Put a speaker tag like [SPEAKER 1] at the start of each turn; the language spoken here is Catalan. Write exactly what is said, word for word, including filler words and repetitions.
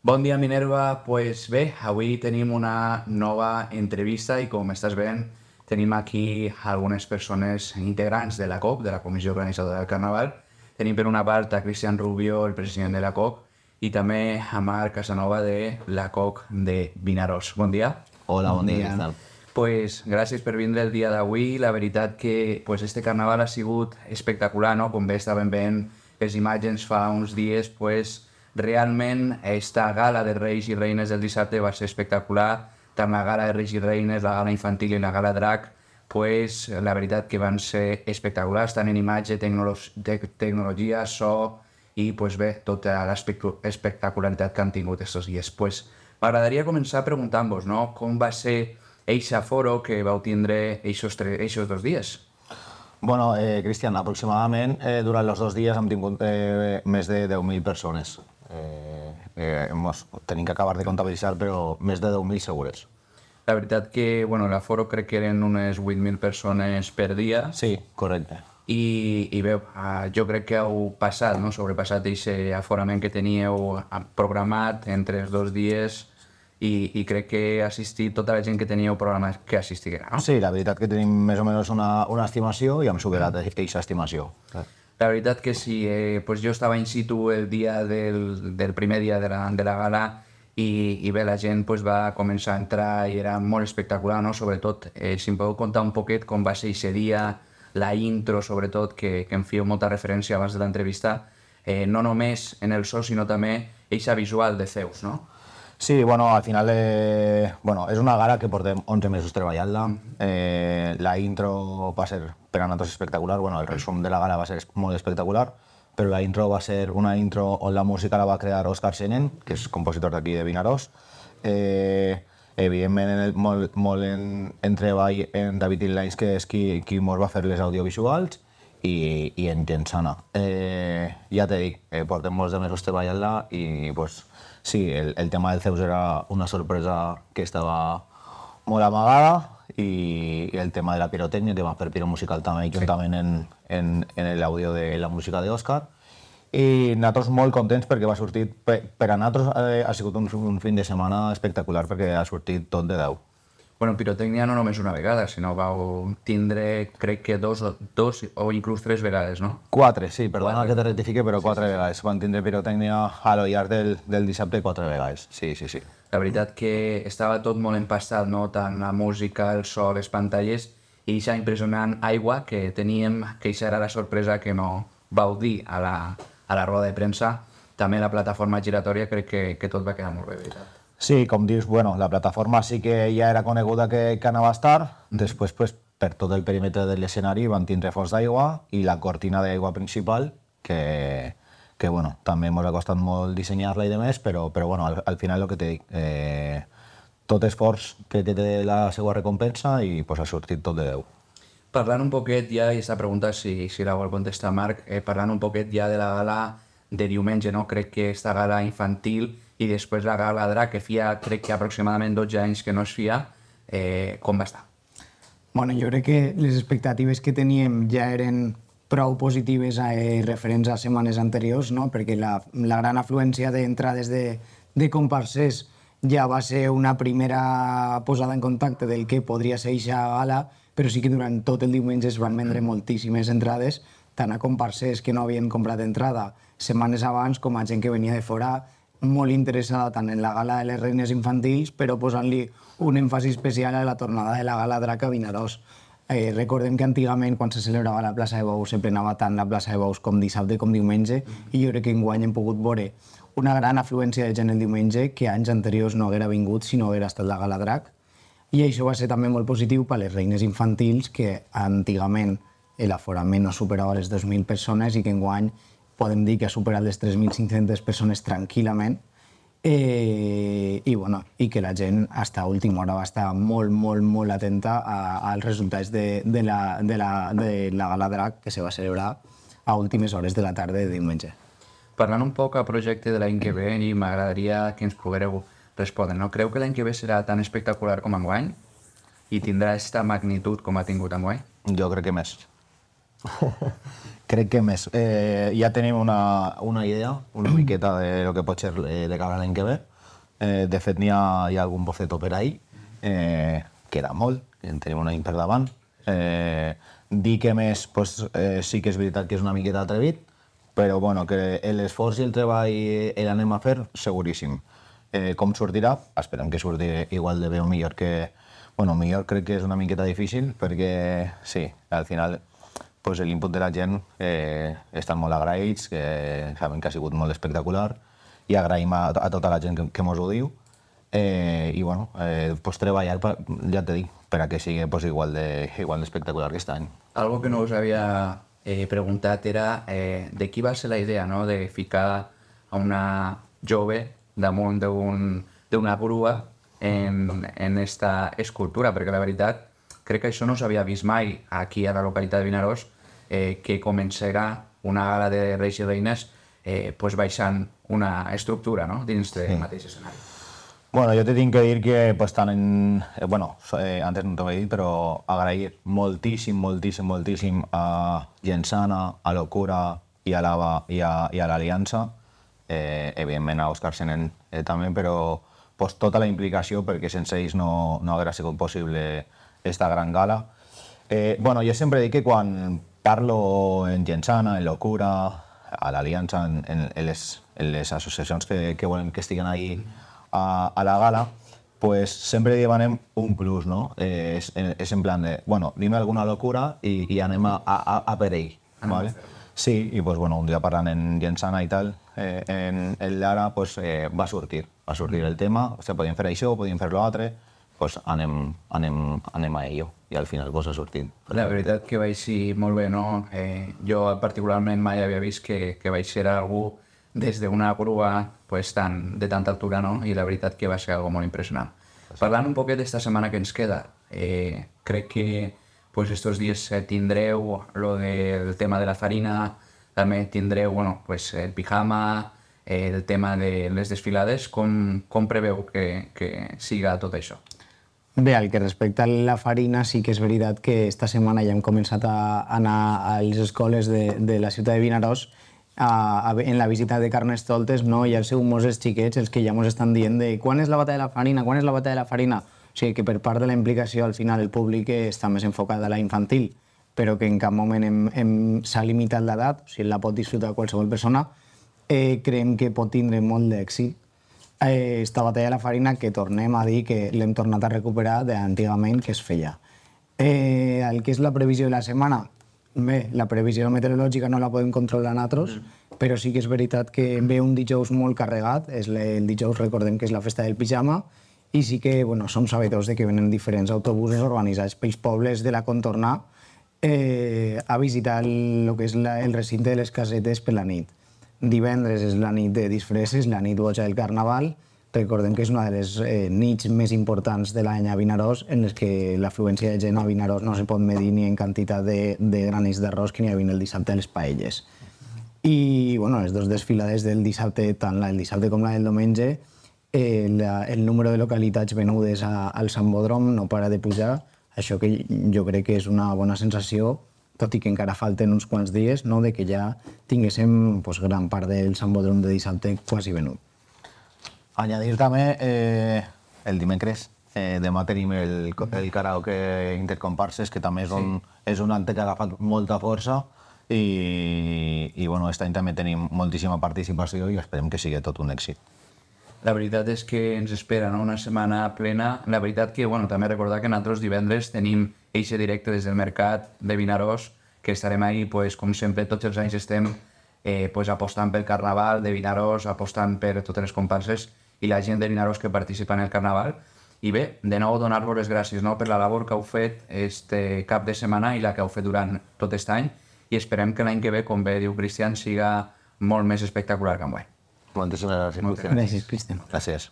[SPEAKER 1] Bon dia, Minerva. Pues bé, avui tenim una nova entrevista i com estàs veient tenim aquí algunes persones integrants de la C O C, de la Comissió Organitzadora del Carnaval. Tenim per una part a Cristian Rubio, el president de la C O C, i també a Marc Casanova de la C O C de Vinaròs. Bon dia.
[SPEAKER 2] Hola, bon dia, què tal?
[SPEAKER 1] Pues gràcies per vindre el dia d'avui. La veritat que pues, este carnaval ha sigut espectacular, no? Com bé estàvem veient les imatges fa uns dies, pues, realment esta gala de Reis i Reines del dissabte va ser espectacular. Tant la gala de Reis i Reines, la gala infantil i la gala drac, pues, la veritat que van ser espectaculars, tant en imatge, tecnolo te tecnologia, so i pues, bé, tota l'espectacularitat que han tingut aquests dies. Pues, m'agradaria començar preguntant-vos, no? Com va ser eixa foro que vau tindre eixos dos dies?
[SPEAKER 2] Bueno, eh, Cristian, aproximadament eh, durant els dos dies hem tingut eh, més de deu mil persones. Eh, eh, hemos, tenim que acabar de comptabilitzar, però més de deu mil segures.
[SPEAKER 1] La veritat que, bueno, l'aforo crec que eren unes vuit mil persones per dia.
[SPEAKER 2] Sí, correcte.
[SPEAKER 1] I, i bé, uh, jo crec que heu passat, no? Sobrepassat aquest aforament que teníeu programat entre els dos dies i, i crec que ha assistit tota la gent que teníeu programat que assistiguera, no?
[SPEAKER 2] Sí, la veritat que tenim més o menys una, una estimació i hem superat aquesta estimació.
[SPEAKER 1] La veritat que sí, eh, pues jo estava in situ el dia del, del primer dia de la, de la gala i, i bé, la gent pues, va començar a entrar i era molt espectacular, no? Sobretot, eh, si em podeu contar un poquet com va ser aquest dia, la intro, sobretot, que, que em feu molta referència abans de l'entrevista, eh, no només en el so, sinó també eixa visual de Zeus, no?
[SPEAKER 2] Sí, bueno, al final eh, bueno, és una gala que portem onze mesos treballant-la. Eh, la intro va ser per a nosaltres espectacular, bueno, el resum de la gala va ser molt espectacular, però la intro va ser una intro on la música la va crear Òscar Senen, que és compositor d'aquí de Vinaròs. Eh, evidentment, en el, molt, molt en, en treball en David Inlines, que és qui, qui mos va fer les audiovisuals, i, i en Gensana. Eh, ja t'he dit, eh, portem molts de mesos treballant-la i pues, sí, el, el tema del Zeus era una sorpresa que estava molt amagada i, i el tema de la pirotècnia, tema per Piro Musical també, sí, juntament en, en, en l'àudio de la música d'Òscar. I nosaltres molt contents perquè va sortir, per, per a nosaltres eh, ha sigut un, un fin de setmana espectacular perquè ha sortit tot de deu.
[SPEAKER 1] Bueno, pirotècnia no només una vegada, sinó vau tindre, crec que dos, dos o inclús tres vegades, no?
[SPEAKER 2] Quatre, sí, perdona quatre. Que te rectifique, però quatre sí, sí. vegades. Van tindre pirotècnia a lo llarg del, del dissabte quatre vegades, sí, sí, sí.
[SPEAKER 1] La veritat que estava tot molt empastat, no? Tant la música, el so, les pantalles, i aquesta impressionant aigua que teníem, que aquesta era la sorpresa que no vau dir a la, a la roda de premsa. També la plataforma giratòria crec que, que tot va quedar molt bé, veritat.
[SPEAKER 2] Sí, com dius, bueno, la plataforma sí que ja era coneguda que, que anava a estar, després pues, per tot el perímetre de l'escenari van tindre fons d'aigua i la cortina d'aigua principal, que, que bueno, també ens ha costat molt dissenyar-la i demés, però, però bueno, al, al final el que t'he dit, eh, tot esforç que té la seva recompensa i pues, ha sortit tot de deu.
[SPEAKER 1] Parlant un poquet ja, i aquesta pregunta si, si la vol contestar Marc, eh, parlant un poquet ja de la gala de diumenge, no? Crec que esta gala infantil i després la gala drac, que fia, crec que aproximadament dotze anys que no es fia, eh, com va estar?
[SPEAKER 3] Bueno, jo crec que les expectatives que teníem ja eren prou positives eh, referents a setmanes anteriors, no? Perquè la, la gran afluència d'entrades de, de comparsers ja va ser una primera posada en contacte del que podria ser eixa gala, però sí que durant tot el diumenge es van vendre moltíssimes entrades, tant a comparsers que no havien comprat entrada setmanes abans com a gent que venia de fora, molt interessada tant en la gala de les reines infantils, però posant-li un èmfasi especial a la tornada de la gala drac a Vinaròs. Eh, recordem que antigament, quan se celebrava la plaça de Bous, se plenava tant la plaça de Bous com dissabte com diumenge, i jo crec que enguany hem pogut veure una gran afluència de gent el diumenge que anys anteriors no haguera vingut si no haguera estat la gala drac. I això va ser també molt positiu per a les reines infantils, que antigament l'aforament no superava les dues mil persones i que enguany podem dir que ha superat les tres mil cinc-centes persones tranquil·lament, eh, i, bueno, i que la gent fins a última hora va estar molt, molt, molt atenta a, als resultats de, de, la, de, la, de la gala drac que se va celebrar a últimes hores de la tarda de diumenge.
[SPEAKER 1] Parlant un poc al projecte de l'any que ve, i m'agradaria que ens poguéreu respondre, no? Creu que l'any que ve serà tan espectacular com enguany i tindrà aquesta magnitud com ha tingut enguany?
[SPEAKER 2] Jo crec que més. Crec que més. Eh, ja tenim una, una idea, una miqueta de lo que pot ser eh, de cara a l'any que ve, Eh, de fet, n'hi ha, hi ha algun boceto per ahir, eh, queda molt, en tenim un any per davant. Eh, dir que més, pues, eh, sí que és veritat que és una miqueta atrevit, però bueno, que l'esforç i el treball l'anem a fer, seguríssim. Eh, com sortirà? Esperem que surti igual de bé o millor que... Bueno, millor crec que és una miqueta difícil, perquè sí, al final pues, l'input de la gent eh, estan molt agraïts, que sabem que ha sigut molt espectacular, i agraïm a, a tota la gent que, que mos ho diu. Eh, I bueno, eh, pues, treballar, per, ja t'he dit, per a que sigui pues, igual de, igual d'espectacular que aquest any.
[SPEAKER 1] Algo que no us havia eh, preguntat era eh, de qui va ser la idea, no?, de ficar a una jove damunt d'una grua en, en esta escultura, perquè la veritat crec que això no s'havia vist mai aquí a la localitat de Vinaròs, eh, que començarà una gala de Reis i Reines eh, pues baixant una estructura, no?, dins del sí. mateix escenari.
[SPEAKER 2] Bueno, jo te tinc que dir que pues, tant en... Eh, bueno, eh, antes no t'ho he dit, però agrair moltíssim, moltíssim, moltíssim a Gensana, a Locura i a l'Ava i a, i a l'Aliança, eh, evidentment a Òscar Senén eh, també, però pues, tota la implicació, perquè sense ells no, no hauria sigut possible esta gran gala. Eh, bueno, jo sempre dic que quan parlo en Gensana, en Locura, a l'Aliança, en, en, en, les, en les associacions que, que volen que estiguen ahí a, a la gala, pues sempre demanem un plus, no? Eh, és, és en plan de, bueno, dime alguna locura i, i anem a, a, a per ell, ¿vale? Sí, i pues, bueno, un dia parlant en Gensana i tal, eh, en, en l'Ara pues, eh, va sortir, va sortir el tema, o sigui, podíem fer això, podíem fer l'altre, pues anem, anem, anem a ello, i al final pues, ha sortit.
[SPEAKER 1] La veritat que vaig ser molt bé, no? Eh, jo particularment mai havia vist que, que vaig ser algú des d'una grua pues, tan, de tanta altura, no? I la veritat que va ser algo molt impressionant. Parlant un poquet d'esta setmana que ens queda, eh, crec que pues estos días eh, tindreu lo del tema de la farina, també tindreu bueno, pues el pijama, eh, el tema de les desfilades. Com, com preveu que, que siga tot això?
[SPEAKER 3] Bé, el que respecta a la farina, sí que és veritat que esta setmana ja hem començat a anar a les escoles de, de la ciutat de Vinaròs a, a, en la visita de Carnestoltes, no? I els seus mossos xiquets els que ja ens estan dient de quan és la bata de la farina, quan és la bata de la farina. O sigui que per part de la implicació al final el públic està més enfocat a la infantil, però que en cap moment hem, hem, s'ha limitat l'edat, o sigui, la pot disfrutar qualsevol persona, eh, creiem que pot tindre molt d'èxit. Eh, esta batalla de la farina que tornem a dir que l'hem tornat a recuperar d'antigament que es feia. Eh, el que és la previsió de la setmana, bé, la previsió meteorològica no la podem controlar nosaltres, mm. però sí que és veritat que ve un dijous molt carregat, és el dijous recordem que és la festa del pijama, i sí que bueno, som sabedors de que venen diferents autobusos organitzats pels pobles de la contorna eh, a visitar el, el que és la, el recinte de les casetes per la nit. Divendres és la nit de disfresses, la nit boja del Carnaval. Recordem que és una de les eh, nits més importants de l'any a Vinaròs, en les que l'afluència de gent a Vinaròs no se pot medir ni en quantitat de, de granits d'arròs que n'hi havia el dissabte a les paelles. I bueno, les dues desfilades del dissabte, tant la del dissabte com la del diumenge, Eh, la, el número de localitats venudes a, al Sambòdrom no para de pujar, això que jo crec que és una bona sensació, tot i que encara falten uns quants dies, no? De que ja tinguéssim pues, gran part del Sambòdrom de dissabte quasi venut.
[SPEAKER 2] Añadir també eh, el dimecres, eh, demà tenim el, el karaoke intercomparses, que també és un, sí. és un acte que ha agafat molta força i, i bueno, aquest any també tenim moltíssima participació i esperem que sigui tot un èxit.
[SPEAKER 1] La veritat és que ens espera, no?, una setmana plena. La veritat que, bueno, també recordar que nosaltres divendres tenim eixe directe des del mercat de Vinaròs, que estarem ahí, pues, com sempre, tots els anys estem eh, pues, apostant pel Carnaval de Vinaròs, apostant per totes les comparses i la gent de Vinaròs que participa en el Carnaval. I bé, de nou donar-vos les gràcies, no?, per la labor que heu fet este cap de setmana i la que heu fet durant tot aquest any, i esperem que l'any que ve, com bé diu Cristian, siga molt més espectacular que enguany.
[SPEAKER 2] Moltíssimes gràcies.
[SPEAKER 3] Gràcies, Cristian.
[SPEAKER 2] Gràcies.